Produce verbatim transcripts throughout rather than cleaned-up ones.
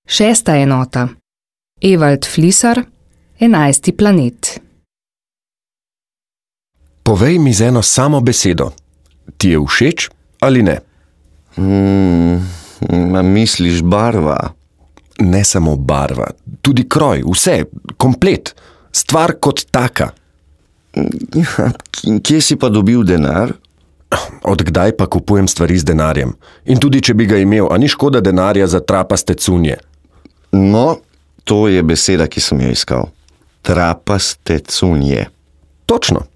Šesta enota. Evald Flisar, Enajsti planet. Povej mi z eno samo besedo. Ti je všeč ali ne? Hmm, ma misliš barva? Ne samo barva, tudi kroj, vse, komplet, stvar kot taka. Kje si pa dobil denar? Od kdaj pa kupujem stvari z denarjem? In tudi, če bi ga imel, a ni škoda denarja za trapaste cunje? No, to je beseda, ki sem jo iskal. Trapaste cunje. Točno.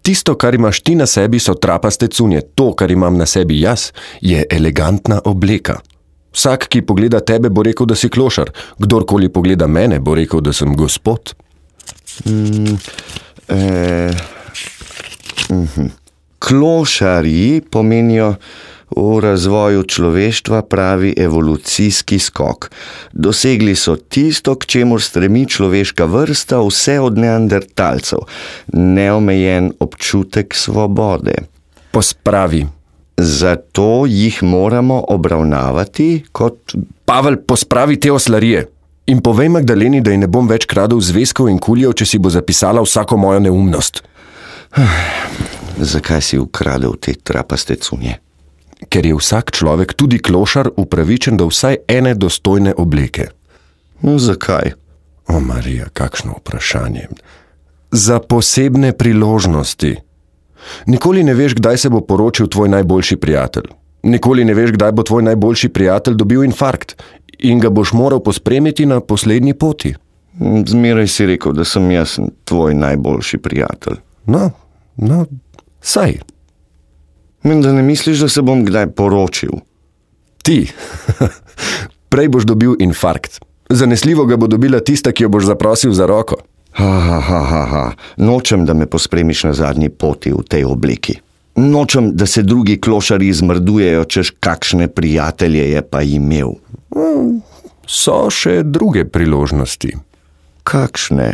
Tisto, kar imaš ti na sebi, so trapaste cunje. To, kar imam na sebi jaz, je elegantna obleka. Vsak, ki pogleda tebe, bo rekel, da si klošar. Kdorkoli pogleda mene, bo rekel, da sem gospod. Mm, eh, uh-huh. Klošarji pomenijo v razvoju človeštva pravi evolucijski skok. Dosegli so tisto, k čemur stremi človeška vrsta vse od neandertalcev. Neomejen občutek svobode. Pospravi. Zato jih moramo obravnavati kot... Pavel, pospravi te oslarije. In povej Magdaleni, da ji ne bom več kradel zvezkov in kuljev, če si bo zapisala vsako mojo neumnost. Zakaj si ukradel te trapaste cunje? Ker je vsak človek, tudi klošar, upravičen do vsaj ene dostojne obleke. No, zakaj? O, Marija, kakšno vprašanje. Za posebne priložnosti. Nikoli ne veš, kdaj se bo poročil tvoj najboljši prijatelj. Nikoli ne veš, kdaj bo tvoj najboljši prijatelj dobil infarkt in ga boš moral pospremiti na poslednji poti. Zmeraj si rekel, da sem jaz tvoj najboljši prijatelj. No, no, saj. Da ne misliš, da se bom kdaj poročil? Ti. Prej boš dobil infarkt. Zanesljivo ga bo dobila tista, ki jo boš zaprosil za roko. Ha, ha, ha, ha, ha. Nočem, da me pospremiš na zadnji poti v tej obliki. Nočem, da se drugi klošari zmrdujejo, češ kakšne prijatelje je pa imel. So še druge priložnosti. Kakšne?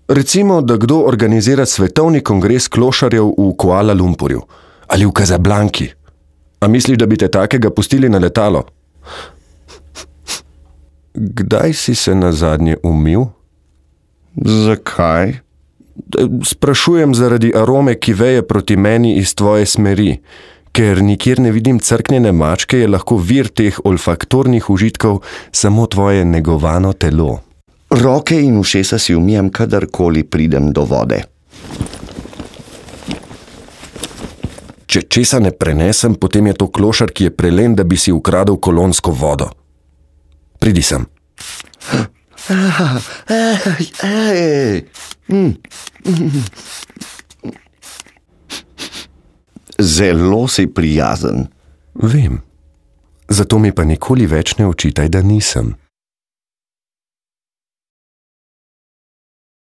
Recimo, da kdo organizira svetovni kongres klošarjev v Kuala Lumpurju ali v Kazablanki. A misliš, da bi te takega pustili na letalo? Kdaj si se nazadnje umil? Zakaj? Sprašujem zaradi arome, ki veje proti meni iz tvoje smeri. Ker nikjer ne vidim crknjene mačke, je lahko vir teh olfaktornih užitkov samo tvoje negovano telo. Roke in ušesa si umijem, kadarkoli pridem do vode. Če česa ne prenesem, potem je to klošar, ki je prelen, da bi si ukradel kolonsko vodo. Pridi sem. Zelo si prijazen. Vem. Zato mi pa nikoli več ne očitaj, da nisem.